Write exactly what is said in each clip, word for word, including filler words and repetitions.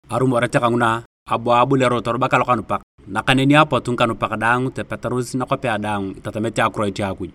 Arumoret kanguna, abu aboliaro torubak lokanupak. Nakaneni apotu ngikanupak daang tepetaros nakwapea daang itatamete akiroit a Akuj.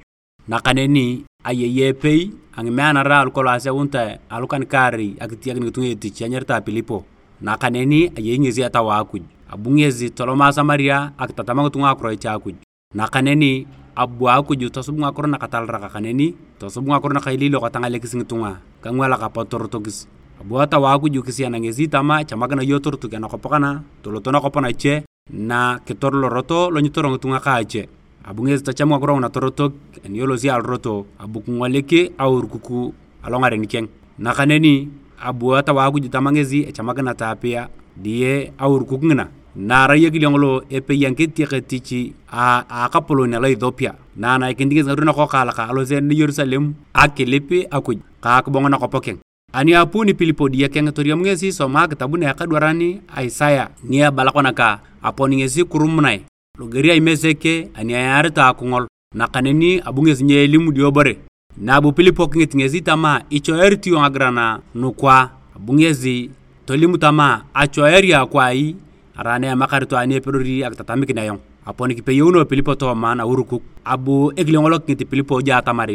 Nakaneni ayei epei a ngimeanara alu kolong aseunitae alukan kaarei akitiak ngitunga etich enyaritae Pilipo. Nakaneni ayei ngesi Etau a Akuj. Abu ngesi toloma Samaria akitatam ngitunga akiroit a Akuj. Nakaneni abu Akuj tosub ngakiro nakatalarak kaneni tosub ngakiro nakailiilok tangalekis ngitunga kangwalak apot torotokis. Abu Etau a Akuj kisiana ngesi tama, "Echamakina iyong torotok anakwap kana, toloto nakwap nache, na kitor lorot lo nyitoro ngitunga kaache." Abu ngesi tacham ngakiro nguna torotok, ani elosi alorot, abu kingolik aurukuk alongaren keng. Nakaneni abu Etau a Akuj tama ngesi, "Echamakina taapia diye aurukuk ngina." Na arai ekile ngolo epei a ngiketiek etich a, a akapolon alo Ethiopia, na anaikinit ngesi ngarui nakokaalak alosi Yerusalem akilip Akuj ka akibong nakwap keng. Ani apuuni Pilipo diye keng, toriam ngesi isoma akitabun a ekadwaran Isaya ni ebala kona ka, "Apon ngesi kirumunae loger a Imesek ani eyaaritae akingol." Nakaneni abu ngesi nyeelim diobore. Na abu Pilipo kingit ngesi tama, "Ichoerit iyong ngagiran nukwa?" Abu ngesi tolim tama, "Achoeari akwai, arai na emakarito ani epedori akitatamikin ayong." Apon kipeyouno Pilipo tooma naurukuk. Abu ekile ngolo kingit Pilipo ja atamar,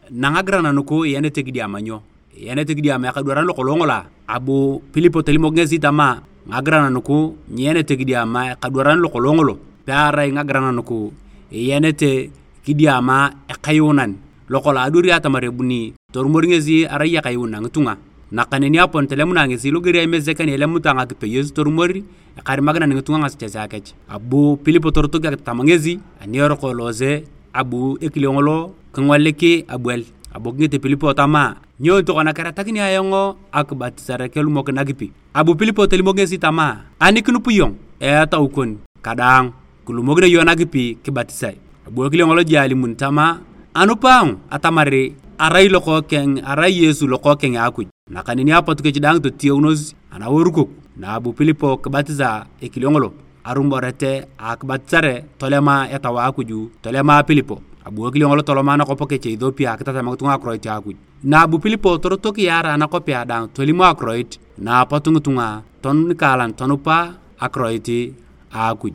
"Na ngagiran nuku iyanete kidiama nyo? Iyanete kidiama ekadwaran lokolong ngolo a?" Abu Pilipo tolimok ngesi tama, "Ngagiran nuku nyiyanete kidiama ekadwaran lokolong ngolo, pearai ngagiran nuku iyanete kidiama ekayuunan lokolong adwari atamar ebuni torumor ngesi arai ekayuunan ngitunga." Nakaneni apon tolemunae ngesi loger a Imesek ani elemuta ngakipeyos torumor ekarimakinan ngitunga ngasechesea kech. Abu Pilipo torotok akitatam ngesi ani eroko eloose, abu ekile ngolo kingolik abuel. Abu kingit Pilipo tama, "Nyo tokona keretakini ayong akibatisare kelumok nakipi?" Abu Pilipo tolimok ngesi tama, "Ani kinup iyong etau kon kadaang, kilumokino iyong nakipi kibatisae." Abu ekile ngolo jik alimun tama, "Anup ayong atamar arai lokookeng, arai Yesu lokookeng a Akuj." Nakaneni apot kech daang totieunos anaurukuk. Na abu Pilipo kibatisa ekile ngolo, arumoret a akibatisare tolema Etau a Akuj, tolema Pilipo. Abu ekile ngolo toloma nakwap kech Ethiopia akitatam ngitunga akiroit a Akuj. Na abu Pilipo torotok yaara anakwapea daang tolim akiroit, na apot ngitunga ton nikaalan tonupa akiroit a Akuj.